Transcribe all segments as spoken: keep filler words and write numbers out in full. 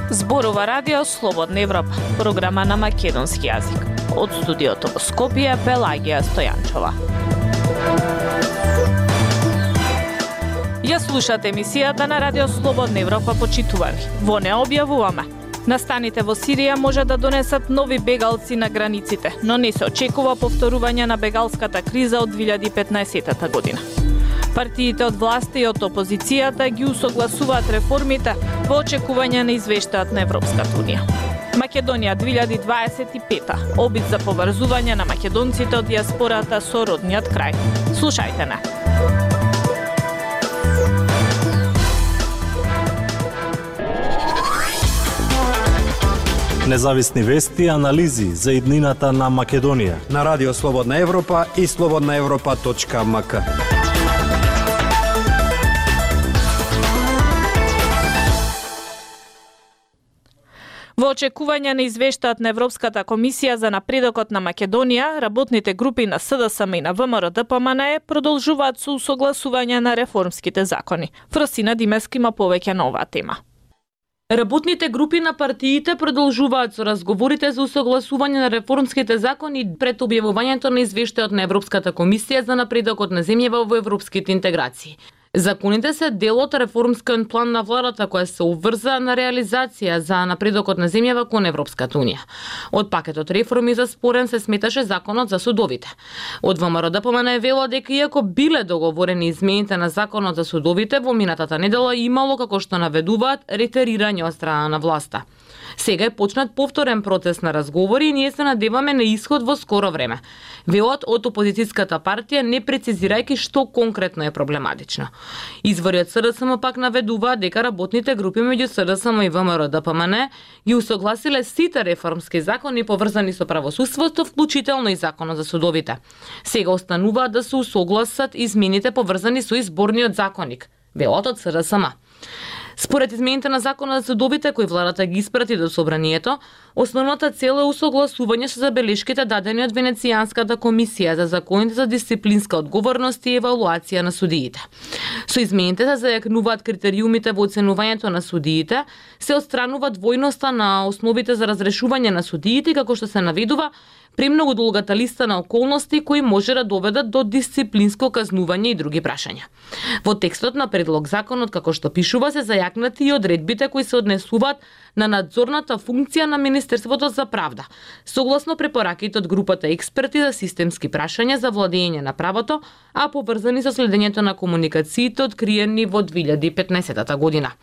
Зборува Радио Слободна Европа, програма на македонски јазик. Од студиото во Скопје, Пелагија Стојанчова. Ја слушате емисијата на Радио Слободна Европа, почитувани. Во неа објавуваме: настаните во Сирија може да донесат нови бегалци на границите, но не се очекува повторување на бегалската криза од две илјади и петнаесетта година. Партиите од власта и од опозицијата ги усогласуваат реформите во очекување на извештајот на Европската унија. Македонија две илјади дваесет и пета. Обид за поврзување на македонците од дијаспората со родниот крај. Слушајте не. Независни вести и анализи за иднината на Македонија на Радио Слободна Европа и слободна европа точка ем ка. Во очекување на извештајот на Европската комисија за напредокот на Македонија, работните групи на С Д С М и на В М Р Д П М Н продолжуваат со усогласување на реформските закони. Фросина Димески има повеќе на оваа тема. Работните групи на партиите продолжуваат со разговорите за усогласување на реформските закони пред објавувањето на извештајот на Европската комисија за напредокот на земјава во европските интеграции. Законите се дел од реформскиот план на владата која се обврза на реализација за напредокот на земјава кон Европската унија. Од пакетот реформи за спорен се сметаше законот за судовите. Од В М Р Д П М Н е вело дека иако биле договорени измените на законот за судовите, во минатата недела имало, како што наведуваат, ретерирање од страна на власта. Сега е почнат повторен процес на разговори и ние се надеваме на исход во скоро време. Велат од опозицијската партија, не прецизирајќи што конкретно е проблематично. Извори од С Д С М пак наведуваат дека работните групи меѓу С Д С М и В М Р Д П М Н ги усогласиле сите реформски закони поврзани со правосудството, вклучително и законот за судовите. Сега остануваат да се усогласат измените поврзани со изборниот законник, велат од С Д С М. Според измените на законот за судовите кои владата ги испрати до собранието, основната цел е усогласување со забелешките дадени од Венецијанската комисија за законите за дисциплинска одговорност и евалуација на судиите. Со измените се зајакнуваат критериумите во оценувањето на судиите, се отстранува двојноста на основите за разрешување на судиите, како што се наведува премногу долгата листа на околности кои може да доведат до дисциплинско казнување и други прашања. Во текстот на предлог законот, како што пишува, се зајакнати и одредбите кои се однесуваат на надзорната функција на Министерството за правда, согласно препораките од групата експерти за системски прашања за владење на правото, а поврзани со следењето на комуникациите откриени во две илјади и петнаесетта година.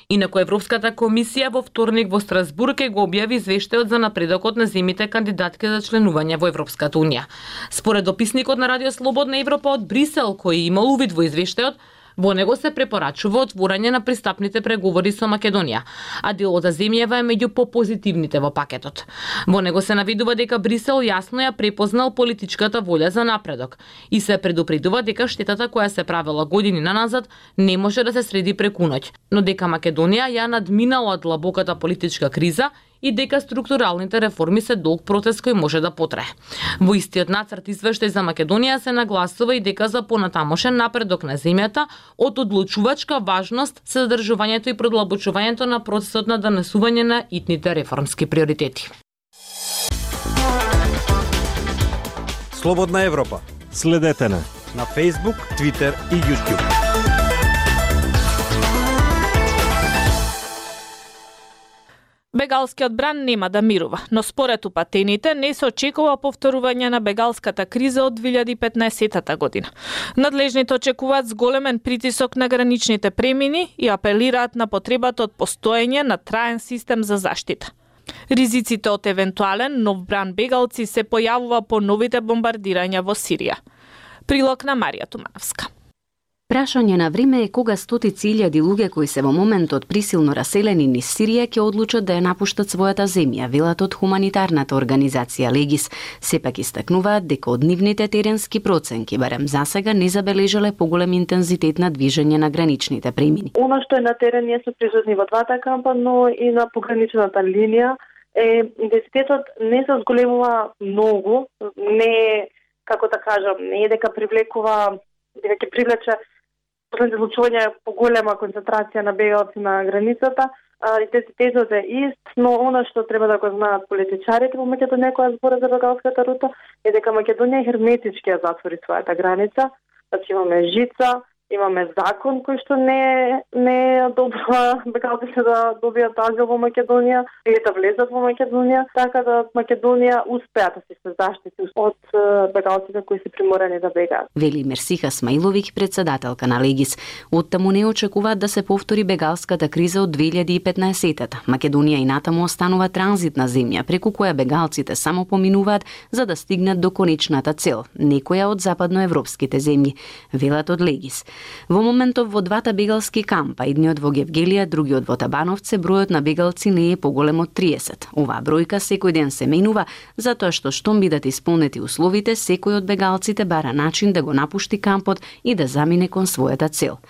Инаку Европската комисија во вторник во Страсбург ќе го објави извештајот за напредокот на земјите кандидатки за членување во Европската унија. Според дописникот на Радио Слободна Европа од Брисел, кој имал увид во извештајот, во него се препорачува отворање на пристапните преговори со Македонија, а делот за земјава е меѓу попозитивните во пакетот. Во него се наведува дека Брисел јасно ја препознал политичката волја за напредок и се предупредува дека штетата која се правела години наназад не може да се среди преку ноќ, но дека Македонија ја надминала длабоката политичка криза и дека структуралните реформи се долг процес кој може да потрае. Во истиот нацрт извештај за Македонија се нагласува и дека за понатамошен напредок на земјата од одлучувачка важност се задржувањето и продлабочувањето на процесот на донесување на итните реформски приоритети. Слободна Европа. Следете на на Facebook, Twitter и YouTube. Бегалскиот бран нема да мирува, но според упатените не се очекува повторување на бегалската криза од две илјади и петнаесетта година. Надлежните очекуваат зголемен притисок на граничните премини и апелираат на потребата од постоење на траен систем за заштита. Ризиците од евентуален нов бран бегалци се појавува по новите бомбардирања во Сирија. Прилог на Марија Тумановска. Прашање на време е кога стотици илјади луѓе кои се во моментот присилно раселени низ Сирија ќе одлучат да ја напуштат својата земја, велат од хуманитарната организација Легис. Сепак истакнуваат дека од нивните теренски проценки барем засега не забележале поголем интензитет на движење на граничните премини. Она што е на терен, ние сме присутни во двата кампа, но и на пограничната линија, е интензитетот не се зголемува многу, не како да кажам, не е дека привлекува, дека ќе привлече последните случувања поголема концентрација на бегалци на границата, и тезот е ист, но она што треба да го знаат политичарите во Македонија која збора за бегалската рута е дека Македонија херметички ја затвори својата граница, значи имаме жица, имаме закон кој што не не одобрува бегалците да добијат азил во Македонија или да влезат во Македонија, така да Македонија успеа да се заштити од бегалците кои се приморани да бегаат. Вели Мерсиха Смаиловиќ, председателка на Легис. Оттаму не очекуваат да се повтори бегалската криза од две илјади и петнаесетта. Македонија и натаму останува транзитна земја преку која бегалците само поминуваат за да стигнат до конечната цел, некоја од западноевропските земји, велат од Легис. Во моментов во двата бегалски кампа, едниот во Гевгелија, другиот во Табановце, бројот на бегалци не е поголем од триесет. Оваа бројка секој ден се менува, затоа што штом бидат исполнети условите, секој од бегалците бара начин да го напушти кампот и да замине кон својата цел.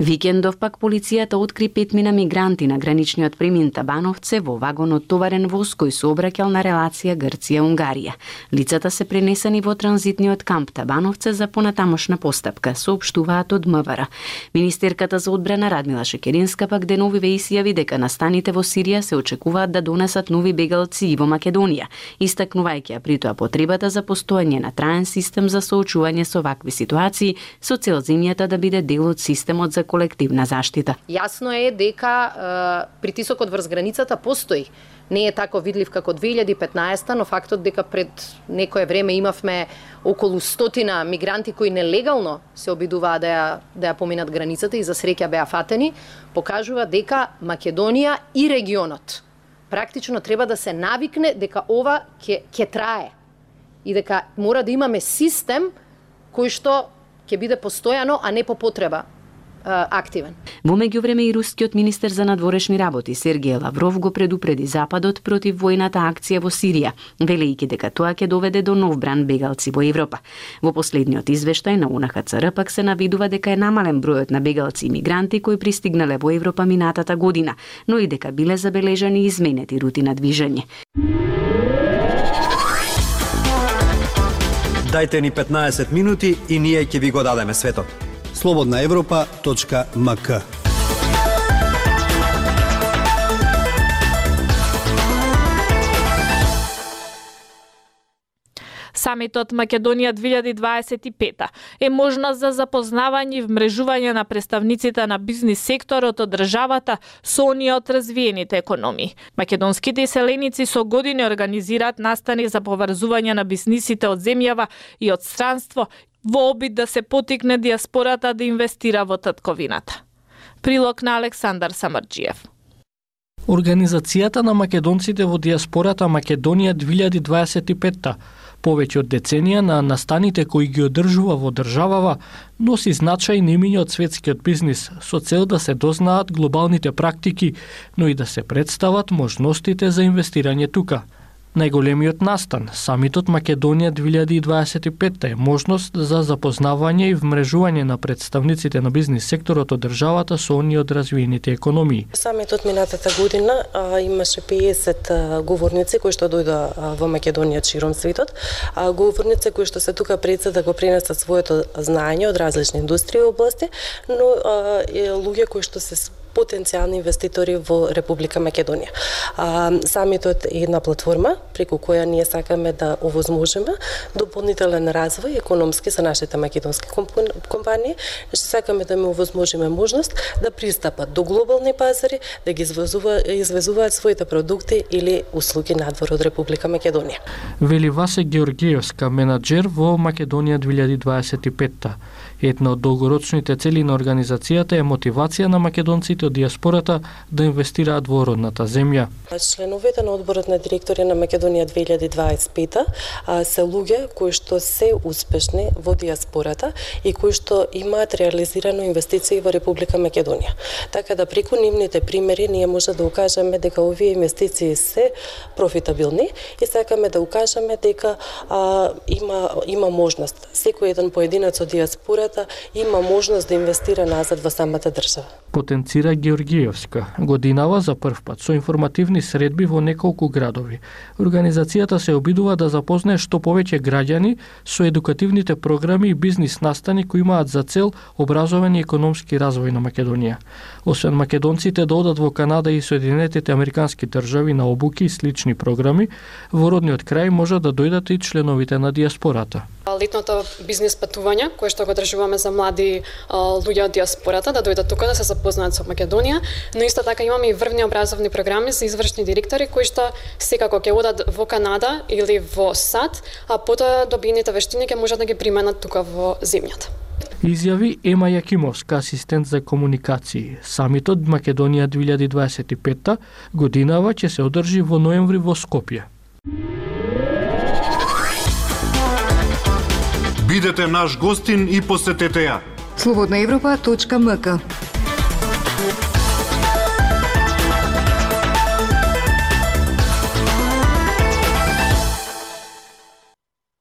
Викендов пак полицијата откри петмина мигранти на граничниот премин Табановце во вагон од товарен воз кој се обраќал на релација Грција-Унгарија. Лицата се пренесени во транзитниот камп Табановце за понатамошна постапка, соопштуваат од МВР. Министерката за одбрана Радмила Шекеринска пак деновиве изјави дека настаните во Сирија се очекуваат да донесат нови бегалци и во Македонија, истакнувајќи ја при тоа потребата за постоење на траен систем за соочување со вакви ситуации, со цел земјата да биде дел од системот за колективна заштита. Јасно е дека е, притисокот врз границата постои. Не е тако видлив како две илјади и петнаесетта, но фактот дека пред некое време имавме околу стотина мигранти кои нелегално се обидуваа да ја, да ја поминат границата и за среќа беа фатени, покажува дека Македонија и регионот практично треба да се навикне дека ова ќе ќе трае и дека мора да имаме систем кој што ќе биде постојано, а не по потреба активен. Во меѓувреме и рускиот министер за надворешни работи Сергеј Лавров го предупреди Западот против војната акција во Сирија, велејќи дека тоа ќе доведе до нов бран бегалци во Европа. Во последниот извештај на У Н Х Ц Р пак се навидува дека е намален бројот на бегалци и мигранти кои пристигнале во Европа минатата година, но и дека биле забележани изменети рути на движење. Дајте ни петнаесет минути и ние ќе ви го дадеме светот. слободна европа точка м к. Самитот Македонија две илјади дваесет и пета е можност за запознавање и вмрежување на представниците на бизнис секторот од државата со оние од развиените економии. Македонските иселеници со години организираат настани за поврзување на бизнисите од земјава и од странство во обид да се потикне диаспората да инвестира во татковината. Прилог на Александар Самарџиев. Организацијата на македонците во диаспората Македонија две илјади дваесет и пета, повеќе од деценија на настаните кои ги одржува во државава, носи значајни имиња од светскиот бизнис со цел да се дознаат глобалните практики, но и да се представат можностите за инвестирање тука. Најголемиот настан, самитот Македонија две илјади дваесет и пета, е можност за запознавање и вмрежување на представниците на бизнис секторот од државата со оние од развиените економии. Самитот минатата година а, имаше пеесет а, говорници кои што дојдоа а, во Македонија широм светот, а говорници кои што се тука пред се да го пренесат своето знаење од различни индустрии и области, но а, е луѓе кои што се потенцијални инвеститори во Република Македонија. А, самитот е една платформа преку која ние сакаме да овозможиме дополнителен развој економски за нашите македонски компании, што сакаме да им овозможиме можност да пристапат до глобални пазари, да ги извезуваат, извезуваат своите продукти или услуги надвор од Република Македонија. Вели Васе Георгиевска, менаџер во Македонија две илјади дваесет и пета. Една од долгорочните цели на организацијата е мотивација на македонците од диаспората да инвестираат во родната земја. Членовите на одборот на директори на Македонија две илјади дваесет и пета се луѓе кои што се успешни во диаспората и кои што имаат реализирано инвестиции во Република Македонија. Така да преку нивните примери ние може да укажеме дека овие инвестиции се профитабилни и сакаме да укажеме дека а, има има можност секој еден поединец од диаспората има можност да инвестира назад во самата држава. Потенцирајќи Тамара Георгиевска, годинава за прв пат со информативни средби во неколку градови. Организацијата се обидува да запознае што повеќе граѓани со едукативните програми и бизнис настани кои имаат за цел образовен и економски развој на Македонија. Освен македонците да одат во Канада и Соединетите американски држави на обуки и слични програми, во родниот крај може да дојдат и членовите на диаспората. Летното бизнис патување, кое што го одржуваме за млади а, луѓе од диаспората, да дојдат тука да се запознаат со Македонија, но исто така имаме и врвни образовни програми за извршни директори кои што секако ќе одат во Канада или во САД, а потоа добиените вештини ќе можат да ги применат тука во земјата. Изјави Ема Јакимовска, асистент за комуникации. Самитот Македонија две илјади дваесет и петта годинава ќе се одржи во ноември во Скопје. Бидете наш гостин и посетете ја. слободна европа точка ем ка.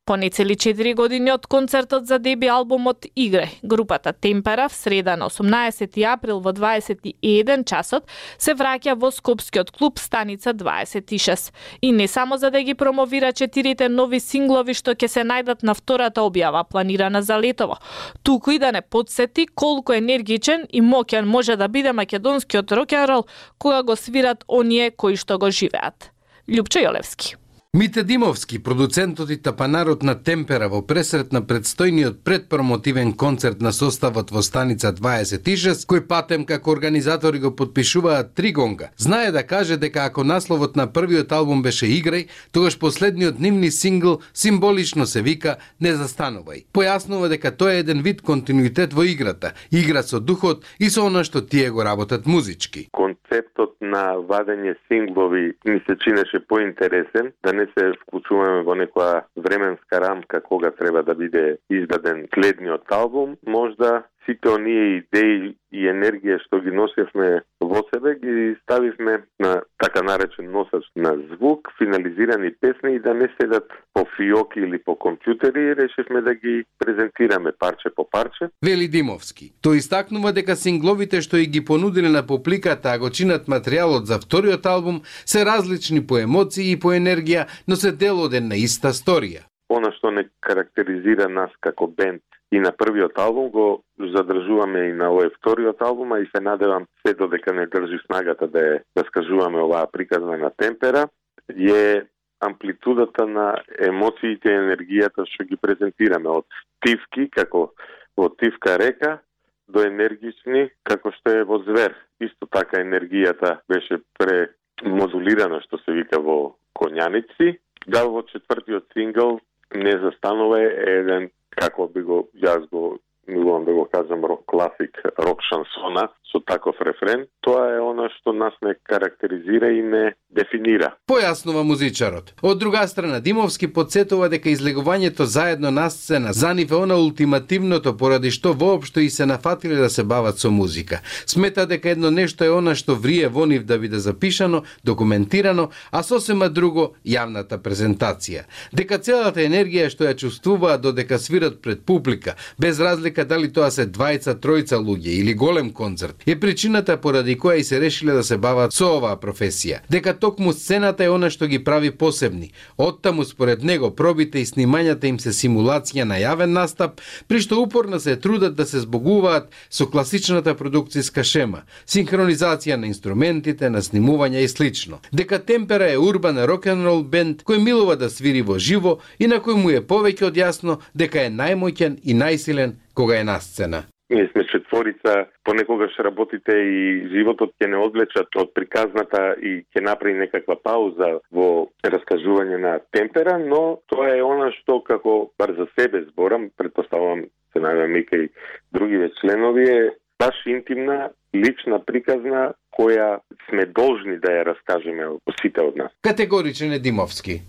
По нецели четири години од концертот за деби албумот Игре, групата Темпера в среда на осумнаесети април во дваесет и еден часот се враќа во скопскиот клуб Станица дваесет и шест. И не само за да ги промовира четирите нови синглови што ќе се најдат на втората објава планирана за летово, туку и да не подсети колку енергичен и моќен може да биде македонскиот рок-н-рол кога го свират оние кои што го живеат. Љупчо Јолевски. Мите Димовски, продуцентот и тапанарот на Темпера во пресрет на предстојниот предпромотивен концерт на составот во Станица дваесет и шест, кој патем како организатори го подпишуваат три гонга, знае да каже дека ако насловот на првиот албум беше Играј, тогаш последниот нивни сингл символично се вика Не застанувај. Појаснува дека тоа е еден вид континуитет во играта, игра со духот и со она што тие го работат музички. Концептот на вадење синглови ми се чинеше поинтересен, да не се вклучуваме во некоја временска рамка кога треба да биде издаден следниот албум. Можда сите оние идеи и енергија што ги носевме во себе ги ставивме на така наречен носач на звук, финализирани песни и да не седат по фиоки или по компјутери, решивме да ги презентираме парче по парче. Вели Димовски. Тој истакнува дека сингловите што и ги понудиле на публиката, а го чинат материјалот за вториот албум, се различни по емоции и по енергија, но се дел од една иста сторија. Она што не карактеризира нас како бенд и на првиот албум го задржуваме и на овој вториот албум, а и се надевам се додека не држи снагата да ја раскажуваме оваа приказна на Темпера, е амплитудата на емоциите и енергијата што ги презентираме од тивки, како во Тивка река, до енергични, како што е во Звер. Исто така енергијата беше премодулирана, што се вика во Конјаници. Да, во четвртиот сингл Не застанува е еден, како би го, јас го, милувам да го кажам, рок класик, рок шансона, со таков рефрен. Тоа е она што нас не карактеризира и не дефинира. Појаснува музичарот. Од друга страна, Димовски подсетува дека излегувањето заедно на сцена за нив е она ултимативното поради што воопшто и се нафатиле да се бават со музика. Смета дека едно нешто е она што врие во нив да биде запишано, документирано, а сосема друго јавната презентација. Дека целата енергија што ја чувствуваат додека свират пред публика, без разлика дали тоа се двајца, тројца луѓе или голем концерт, е причината поради која и се решиле да се бават со оваа професија. Дека токму сцената е она што ги прави посебни. Оттаму според него пробите и снимањата им се симулација на јавен настап, при што упорно се трудат да се збогуваат со класичната продукцијска шема, синхронизација на инструментите, на снимувања и слично. Дека Темпера е урбан рок-н-рол бенд кој милува да свири во живо и на кој му е повеќе од јасно дека е најмоќен и најсилен кога е на сцена. Ние сме четворица, понекогаш работите и животот ќе не одвлечат од приказната и ќе направи некаква пауза во раскажување на Темпера, но тоа е она што како бар за себе зборам, предпоставувам се најавам и кај другиве членови, е баш интимна, лична приказна која сме должни да ја раскажеме сите од нас. Категоричен е Димовски.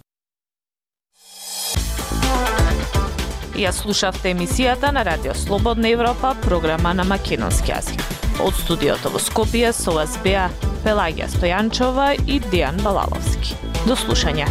Ја слушавте емисијата на Радио Слободна Европа, програма на македонски јазик. Од студиото во Скопје со вас беа Пелагија Стојанчова и Дејан Балаловски. До слушање.